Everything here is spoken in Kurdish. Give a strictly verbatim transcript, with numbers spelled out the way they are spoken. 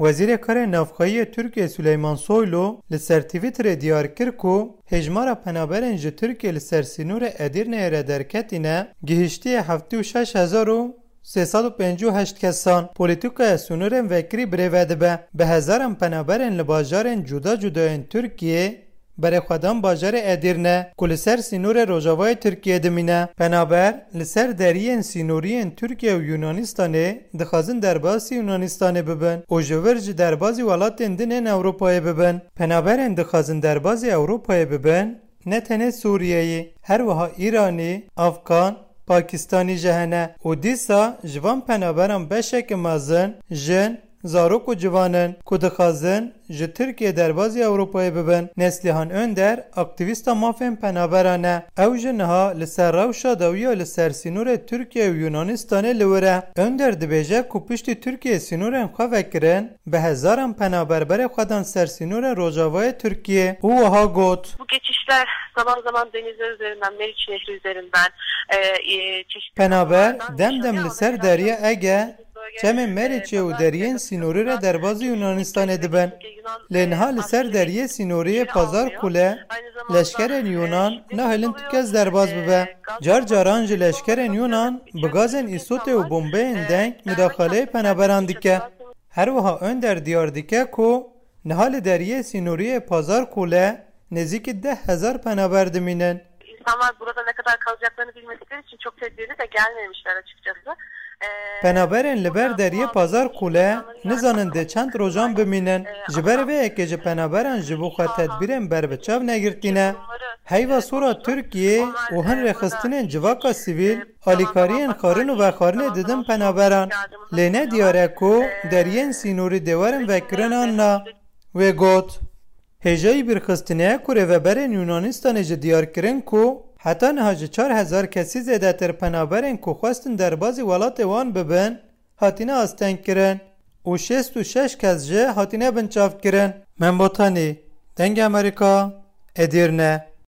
Wezîrê Karê Navxweyî yê Tirkiyê Süleyman Soylu li ser Twitterê diyar kir ku hêjmara penaberên ji Tirkiyê li ser sînorê Edîrneyê re derketîne gihiştiye heftê û şeş hezar û sê sed û pêncî û heşt kesan. Polîtîkaya sînorên vekirî birêve dibe. Bi hezaran penaberên li bajarên cuda cuda yên Tirkiyê berê xwe dan bajarê Edîrne ku li ser sînorê rojavayê Tirkiyê dimîne. Penaber li ser deriyên sînorî yên Tirkiye û Yunanistanê dixwazin derbasî Yunanistanê bibin û ji vir jî derbazî welatên din ên Ewropayê bibin. Penaberên dixwazin derbazî Ewropayê bibin ne tenê Sûriyeyî, her wiha Îranî, Afgan, Pakistanî jî hene û dîsa ji van penaberan beşeke mezin jin, zarok û ciwan in ku dixwazin ji Tirkiyê derbazî Ewropayê bibin. Neslihan Önder, aktîvîsta mafên penaberan e. Ew jî niha li ser rewşa dawiya li ser sînorê Tirkiye û Yunanistanê li wir e. Önder dibêje ku piştî Tirkiye sînorên xwe vekirin, bi hezaran penaber berê xwe dan ser sînorên rojavayê Tirkiyê û wiha got. Bu geçişler zaman zaman denizler üzerinden, Meriç Nehri üzerinden, e, e, çeşitli Penaber kanallardan dem dem yaşanıyor. Li ser Derya Ege, çemên Meriçê û deriyên sînorî re derbazî Yunanistanê dibin. Lê niha li ser deriyê sînoriyê Pazar Kule leşkerên Yunan nahêlin tu kes derbas bibe. Car caran jî leşkerên Yunan bi gazên îsotê û bombeyên deng mudaxaleyê penaberan dike. Her wiha Önder diyar dike ku niha li deriyê sînoriyê Pazar Kule nêzîkî deh hezar penaber dimînin. İnsanlar burada ne kadar kalacaklarını bilmedikleri için çok tedbirli de gelmemişler açıkçası. Ee, Penaberên li ber deriyê Pazar Kule nizanin dê çend rojan bimînin. Ji ber vê yekê ji penaberan ji bo xwe tedbîrên berbiçav negirtîne. Heyva sora Tirkiyê û hin rêxistinên civaka sivîl alîkariyên xwarin û vexwarinê didin penaberan. Lê ne diyar e ku deriyên sînorî dê werin vekirin an na. Wê got. Hêjayî bîrxistinê ye ku rêveberên Yunanistanê ji diyar kirin ku heta niha ji çar hezar kesî zêdetir penaberên ku xwestin derbazî welatê wan bibin, hatine astengkirin û şêst û şeş kes jî hatine binçavkirin. Membotanî, Dengê Amerîka, Edîrne.